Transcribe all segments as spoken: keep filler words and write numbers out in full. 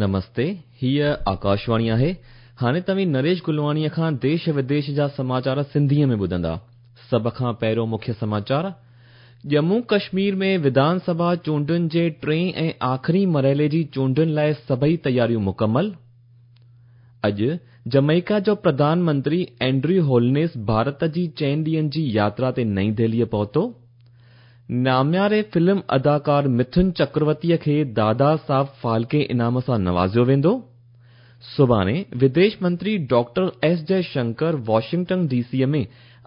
نمستي، هيءَ آڪاشواڻي آهي. هاڻي توهين نريش گلواڻيءَ کان ديش وديش جا سماچار سنڌيءَ ۾ ٻڌندا. سڀ کان پهريون مکيه سماچار. ڄمون ڪشمير ۾ وڌان سڀا چونڊن جي ٽئين ۽ آخري مرحلي جي چونڊن لاءِ سڀئي تياريون مڪمل. اڄ جمائيڪا جو پرڌان منتري اينڊريو هولنيس ڀارت جي چئن ڏينهن جي ياترا تي نئين دهليءَ پهتو. نامياري فلم اداڪار مٿن چڪرورتيءَ کي دادا صاحب ڦالڪي انعام سان نوازيو ويندو. سڀاڻي وديش منتري doctor S Jaishankar Washington D سيءَ ۾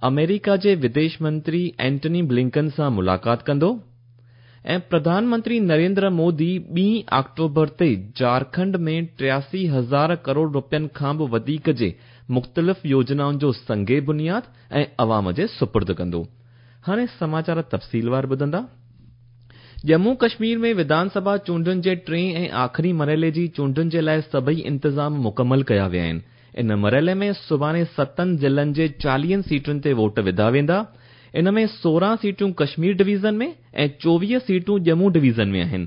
آمريڪا جي وديش منتري اينٽني بلنڪن سان ملاقات ڪندو. ۽ پرڌان منتري نريندر مودي ٻين آڪٽوبر تي جهارکنڊ ۾ ٽياسي هزار ڪروڙ رپين کان به وڌيڪ جي مختلف يوجنائن جو سنگ بنياد ۽ عوام جي سپرد ڪندو. هاڻي سماچار تفصيلوار ٻڌندا. ڄمون ڪشمير ۾ وڌان سڀا چونڊن جي ٽئين ۽ آخري مرحلي جي چونڊن جي لاءِ سڀئي انتظام مڪمل ڪيا ويا آهن. ان مرحلي ۾ سڀاڻي ستن ضلعن جي چاليهن سيٽن تي ووٽ وڌا ويندا. ان ۾ سورهن سيٽون ڪشمير ڊويزن ۾ ۽ چوويهه سيٽون ڄمون ڊويزن ۾ آهن.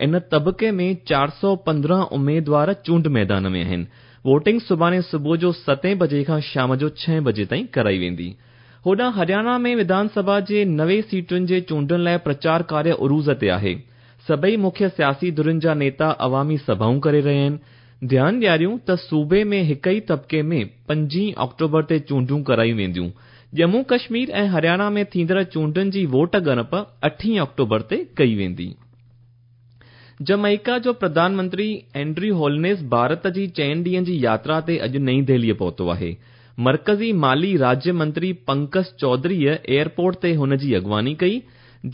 ان طبقي ۾ چار سؤ پندرهن اميدوار چونڊ ميدان ۾ آهن. ووٽنگ سڀاڻي صبح جو ستين بجي کان شام جو ڇهين بجي تائين ڪرائي ويندي. هوڏانهن هرياڻا ۾ وڌان سڀا جي نوي سيٽن جي چونڊن لاءِ پرچار ڪاريه عروج تي آهي. سڀئي مکيه سياسي ڌرين جا نيتا عوامي سڀائون ڪري رهيا آهن. ڌيان ڏياريون ته صوبي ۾ هڪ ئي طبقي ۾ پنجين آڪٽوبر تي چونڊون ڪرايون وينديون. ڄمون ڪشمير ۽ هرياڻا ۾ ٿيندڙ چونڊن جي ووٽ ڳڻپ اٺين آڪٽوبر تي ڪئي ويندي. جمائيڪا جو پرڌان منتري اينڊريو هولنيس ڀارت جي چئن ڏينهن جي ياترا تي اڄ نئين دهليءَ پهتو آهي. مرڪزي مالي راجيه منتري پنڪج چوڌريءَ ايئرپورٽ تي هن جي اڳواڻي ڪئي.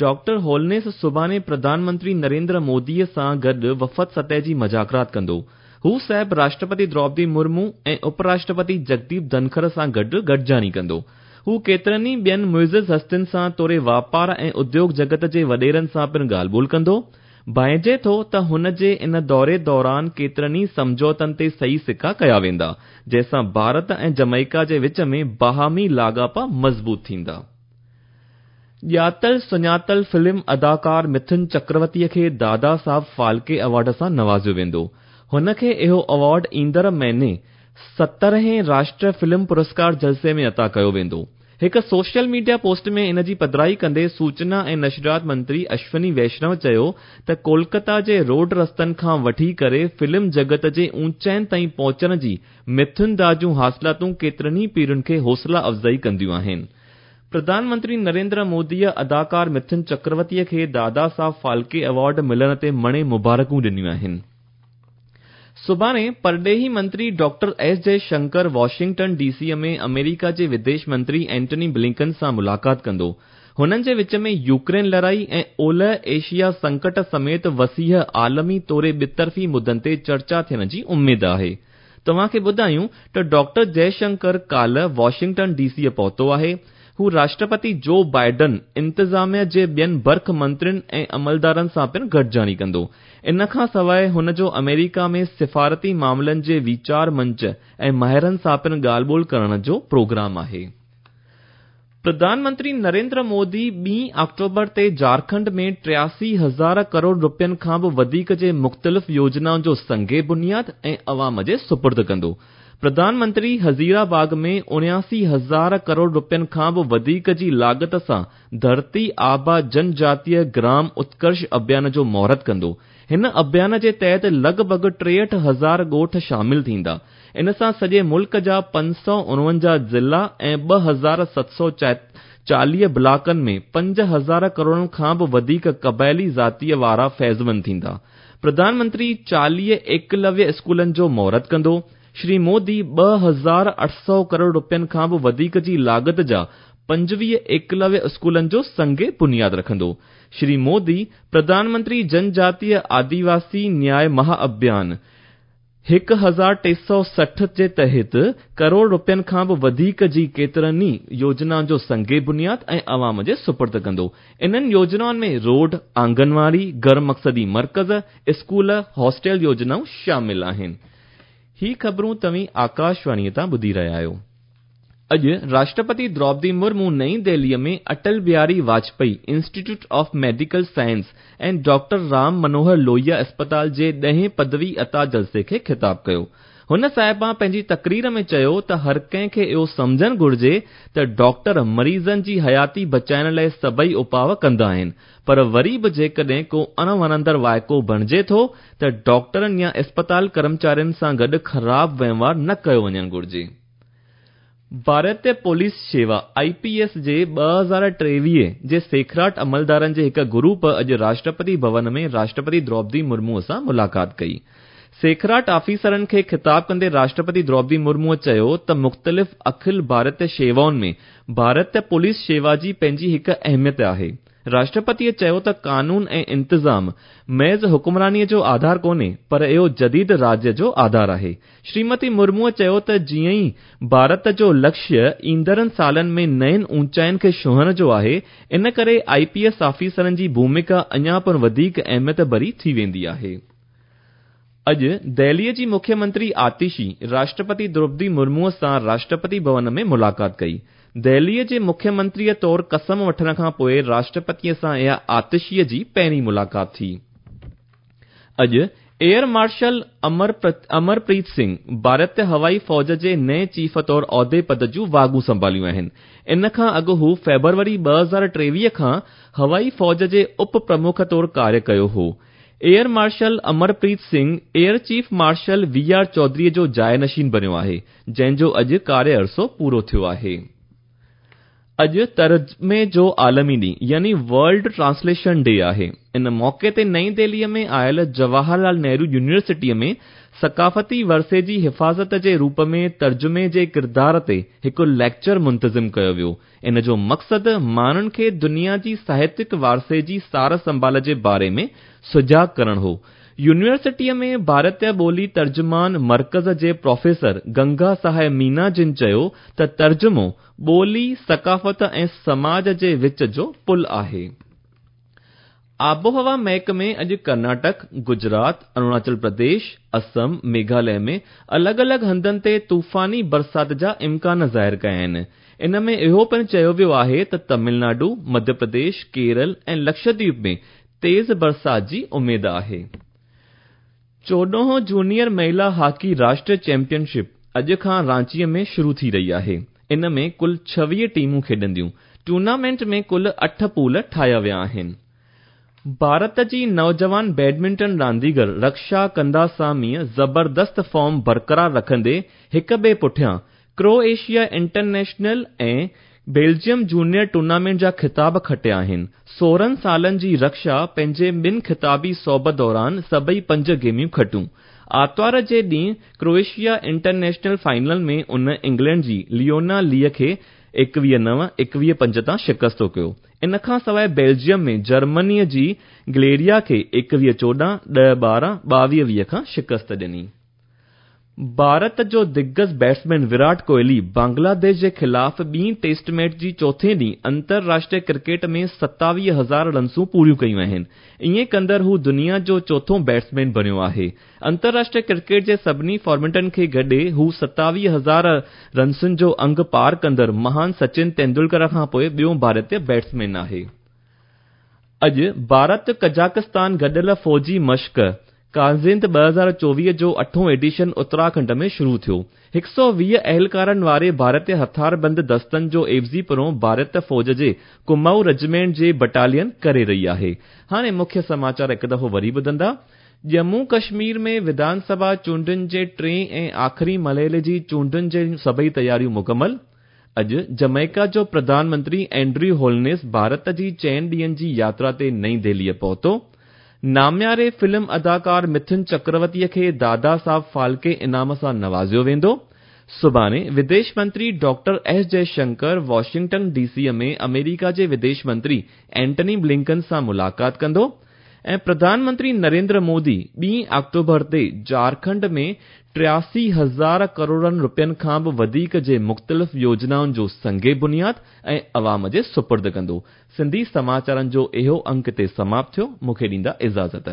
ڊاڪٽر هولنيس سڀاڻي پرڌان منتري نريندر موديءَ سان گڏ وفد سطح جي مذاڪرات ڪندو. هو صاحب راشٽرپتي دروپدي مرمو ۽ اپراشٽرپتي جگديپ ڌنکر سان گڏ گڏجاڻي ڪندو. هو ڪيترن ئي ٻين معزز هستين سان توڙي واپار ۽ اديوگ جڳت جي وڏيرن سان پڻ ڳالهه ٻولهه ڪندو. ڀانئجي ٿو ته هن جي ان دوري دوران ڪيترن ئي سمجهوتن تي صحيح سڪا ڪيا ويندا، جنهن سان ڀارت ۽ جمائيڪا جي وچ ۾ باهمي لاڳاپا مضبوط ٿيندا. ڄاتل سڃاتل فلم اداڪار مٿن چڪرورتيءَ کي دادا صاحب ڦالڪي ايوارڊ سان نوازيو ويندو. هن کي اهو ايوارڊ ايندڙ مهيني سترهين راشٽريه فلم پرسڪار جلسي ۾ عطا ڪيو ويندو. هڪ سوشل ميڊيا پوسٽ ۾ ان جي پڌرائي ڪندي سوچنا ۽ نشريات منتري اشوني ويشنو چيو ته ڪولڪتا جي روڊ رستن کان وٺي ڪري فلم جڳت جي اوچائين تائين پهچڻ جي مٿن دا جون حاصلاتون ڪيترن ئي پيڙهين کي حوصلا افزائي ڪنديون آهن. پرڌان منتري نريندر موديءَ اداڪار مٿن چڪرورتيءَ کي دادا صاحب ڦالڪي ايوارڊ ملڻ تي مڻي مبارڪون ڏنيون آهن. سڀاڻي پرڏيهي منتري doctor S Jaishankar Washington D سيءَ ۾ آمريڪا جي وديش منتري اينٽني بلنڪن سان ملاقات ڪندو. هنن جي وچ ۾ يوڪرين لڙائي ۽ اولهه ايشيا سنڪٽ سميت وسيع عالمي توڙي ٻطرفي مدن تي چرچا ٿيڻ جي اميد آهي. توهان کي ٻڌايون ته ڊاڪٽر جئشنڪر ڪالهه واشنگٽن ڊي سيءَ پهتو آهي. هو راشٽرپتي جو بائيڊن انتظاميا جي ٻين برک منترين ۽ عملدارن سان پڻ گڏجاڻي ڪندو. ان کان سواءِ هن جو آمريڪا ۾ سفارتي معاملن جي ويچار منچ ۽ ماهرن سان پڻ ڳالهه ٻولهه ڪرڻ جو پروگرام آهي. پرڌان منتري نريندر مودي ٻين آڪٽوبر تي جهارکنڊ ۾ ٽياسي هزار ڪروڙ رپين کان به وڌيڪ جي مختلف يوجنائن جو سنگ بنياد ۽ عوام جي سپرد ڪندو. پرڌان منتري هزيرا باغ ۾ اڻياسي هزار ڪروڙ رپين کان به وڌيڪ جي لاڳت سان ڌرتي آبا جنجاتيه گرام اتڪرش اڀيان جو مهورت ڪندو. هن اڀيان جي تحت لڳ ڀڳ ٽيهٺ هزار ڳوٺ شامل ٿيندا. ان سان سڄي ملڪ جا پنج سؤ اڻونجاهه ضلعا ۽ ٻه هزار ست سؤ چاليهه بلاڪن ۾ پنج هزار ڪروڙن کان به وڌيڪ قبائلي ذاتيءَ وارا فيضمند ٿيندا. پرڌان منتري چاليهه ايڪلويه اسڪولن جو مهورت ڪندو. شري مودي ٻه هزار اٺ سؤ ڪروڙ رپين کان به وڌيڪ جي لاڳت جا پنجويهه ايڪلويه اسڪولن جو سنگ بنياد رکندو. شري مودي پرڌان منتري جنجاتيه آديواسي نياءِ مها اڀيان هڪ هزار ٽي سؤ سٺ جي تحت ڪروڙ رپين کان به وڌيڪ جي ڪيترن ئي يوجنائن جو سنگ بنياد ۽ عوام جي سپرد ڪندو. انهن يوجنائن ۾ روڊ، آنگنواڙي، گهر مقصدي مرڪز، اسڪول، هاسٽل يوجنائون شامل آهن. هي خبرون توهين آڪاشواڻيءَ تان ٻڌي رهيا آهيو. اڄ راشٽرپتي دروپدي مرمو نئين دهليءَ ۾ Atal Bihari Vajpayee institute of medical science ۽ doctor Ram Manohar Lohia اسپتال جي ڏهين پدوي عطا جلسي کي خطاب ڪيو. هن صاحبان پنهنجي تقرير ۾ چيو ته هر ڪنهن کي اهو سمجهڻ گهرجي ته ڊاڪٽر مريضن جي حياتي بچائڻ لاءِ سڀئي اپاءُ ڪندا آهن، پر وري به جيڪڏهن ڪو اڻوڻندڙ واقعو بڻجي ٿو ته ڊاڪٽرن يا اسپتال ڪرمچارين سان گڏ خراب وهنوار نه ڪيو وڃڻ گهرجي. ڀارتيه پوليس شيوا I P S جي ٻه هزار ٽيويهه جي سيکڙاٽ عملدارن جي هڪ گروپ اڄ راشٽرپتي ڀون ۾ راشٽرپتي دروپدي مرموءَ سان ملاقات ڪئي. سيکڙاٽ آفيسرن کي خطاب ڪندي راشٽرپتي دروپدي مرموءَ چيو ته مختلف اکل ڀارتيه شيوائن ۾ ڀارتيه پوليس شيوا جي پنهنجي هڪ اهميت آهي. راشٽرپتيءَ چيو ته قانون ۽ انتظام محض حڪمرانيءَ جو آڌار ڪونهي، پر اهو جديد راجيه جو آڌار آهي. شريمتي مرموءَ چيو ته جيئن ئي ڀارت جو لڪشيه ايندڙن سالن ۾ نين اوچائين کي ڇهڻ جو آهي، ان ڪري I P S آفيسرن جي ڀومڪا اڃا پڻ وڌيڪ اهميت ڀري ٿي ويندي آهي. اڄ دهليءَ جي مکيه منتري آتشي راشٽرپتي دروپدي مرموءَ سان راشٽرپتي ڀون ۾ ملاقات ڪئي. دهليءَ جي مکيه منتريءَ طور قسم وٺڻ کان پوءِ راشٽرپتيءَ سان اها آتشيءَ جي پهرين ملاقات ٿي. اڄ ايئر مارشل امرپريت سنگهه ڀارتيه هوائي فوج جي نئين چيف طور عهدي پد جون واڳون سنڀاليون آهن. ان کان اڳ هو فيبروري ٻه هزار ٽيويهه کان هوائي فوج جي اپ پرمک طور ڪاريه ڪيو هو. Air marshal Amarpreet Singh air chief marshal V R چوڌريءَ جو جاءِ نشين بڻيو آهي، جنهن جو اڄ ڪاريه عرصو پورو ٿيو آهي. اڄ ترجمي جو عالمي ڏينهن يعني ورلڊ ٽرانسليشن ڊي آهي. ان موقعي تي نئين دهليءَ ۾ آيل جواهر لال نهرو يونيورسٽيءَ ۾ ثقافتي ورثي جي حفاظت جي روپ ۾ ترجمي جي ڪردار تي هڪ ليڪچر منتظم ڪيو ويو. ان جو مقصد ماڻهن کي دنيا جي ساهتيڪ ورثي جي سار سنڀال جي باري ۾ سجاڳ ڪرڻ هو. يونيورسٽيءَ ۾ ڀارتيه ٻولي ترجمان مرڪز جي پروفيسر گنگا سهاءِ مينا جن چيو ته ترجمو ٻولي، ثقافت ۽ سماج جي وچ جو پل آهي. آبهوا محڪمي اڄ ڪرناٽڪ، گجرات، اروناچل پرديش، اسم، ميگهاليه ۾ الڳ الڳ هنڌن تي طوفاني برسات جا امڪان ظاهر ڪيا آهن. ان ۾ اهو پڻ چيو ويو آهي ته تامل ناڊو، مڌيه پرديش، ڪيرل ۽ لڪشدويپ ۾ تيز برسات جي اميد آهي. چوڏهون جونيئر مهلا هاڪي راشٽريه چيمپيئن شپ اڄ کان رانچيءَ ۾ شروع ٿي رهي آهي. ان ۾ ڪل ڇويهه ٽيمون کيڏنديون. ٽورنامينٽ ۾ ڪل اٺ پول ٺاهيا ويا آهن. ڀارت جي نوجوان بيڊمنٽن رانديگر رڪشا ڪنداساميءَ زبردست فارم برقرار رکندي هڪ ٻئي پٺيان Croatia international ۽ Belgium junior tournament جا خطاب کٽيا آهن. سورهن سالن جي رڪشا پنهنجي ٻن خطابي سوڀ دوران سڀئي پنج گيميون کٽيون. آرتوار جي ڏينهن ڪروئيشيا انٽرنيشنل فائنل ۾ ان انگلينڊ جي ليونا ليءَ کي ايڪويهه نو، ايڪويهه پنج تان شڪست ڪيو. ان کان سواءِ بيلجيم ۾ جرمنيءَ جي گليريا کي ايڪويهه چوڏهن، ڏهه ٻارهن، ٻاويهه ويهه کان شڪست ڏني. ڀارت جو دگج بيٽسمين ويرات ڪوهلي بنگلاديش جي خلاف ٻي ٽيسٽ ميچ جي چوٿين ڏينهن انترراشٽريه ڪرڪيٽ ۾ ستاويهه هزار رنسون پوريون ڪيون آهن. ائين ڪندڙ هو دنيا جو چوٿون بيٽسمين بڻيو آهي. انترراشٽريه ڪرڪيٽ جي سڀني فارميٽن کي گڏي هو ستاويهه هزار رنسن جو انگ پار ڪندڙ مهان سچن ٽنڊولڪر کان پوءِ ٻيو ڀارتيه بيٽسمين آهي. اڄ ڀارت قزاقستان گڏيل فوجي مشق ڪازند ٻه هزار چوويهه جو اٺون ايڊيشن اتراکنڊ ۾ شروع ٿيو. هڪ سؤ ويهه اهلڪارن واري ڀارتيه هٿياربند دستن جو عيوضي پڻو ڀارتيه فوج جي ڪمائون ريجمينٽ جي بٽالين ڪري رهي آهي. هاڻي مکيه سماچار هڪ دفعو وري ٻڌندا. ڄمون ڪشمير ۾ وڌان سڀا چونڊن جي ٽئين ۽ آخري مرحلي جي چونڊن جون سڀئي تياريون مڪمل. اڄ جميڪا جو پرڌان منتري اينڊريو هولنيس ڀارت جي چئن ڏينهن جي ياترا تي نئين دهليءَ پهتو. نامياري فلم اداڪار مٿن چڪروتيءَ کي دادا صاحب ڦالڪي انعام سان نوازيو ويندو. سڀاڻي وديش منتري doctor S Jaishankar Washington D سيءَ ۾ آمريڪا جي وديش منتري اينٽني بلنڪن سان ملاقات ڪندو. ۽ پرڌان منتري نريندر مودي ٻي آڪٽوبر تي جهارکنڊ ۾ ٽياسي هزار ڪروڙن رپين کان به وڌيڪ جي مختلف يوجنائن جو سنگ بنياد ۽ عوام جي سپرد ڪندو. سنڌي سماچارن جو اهو انڪ هتي سماپت ٿيو. مون کي ڏيندا اجازت.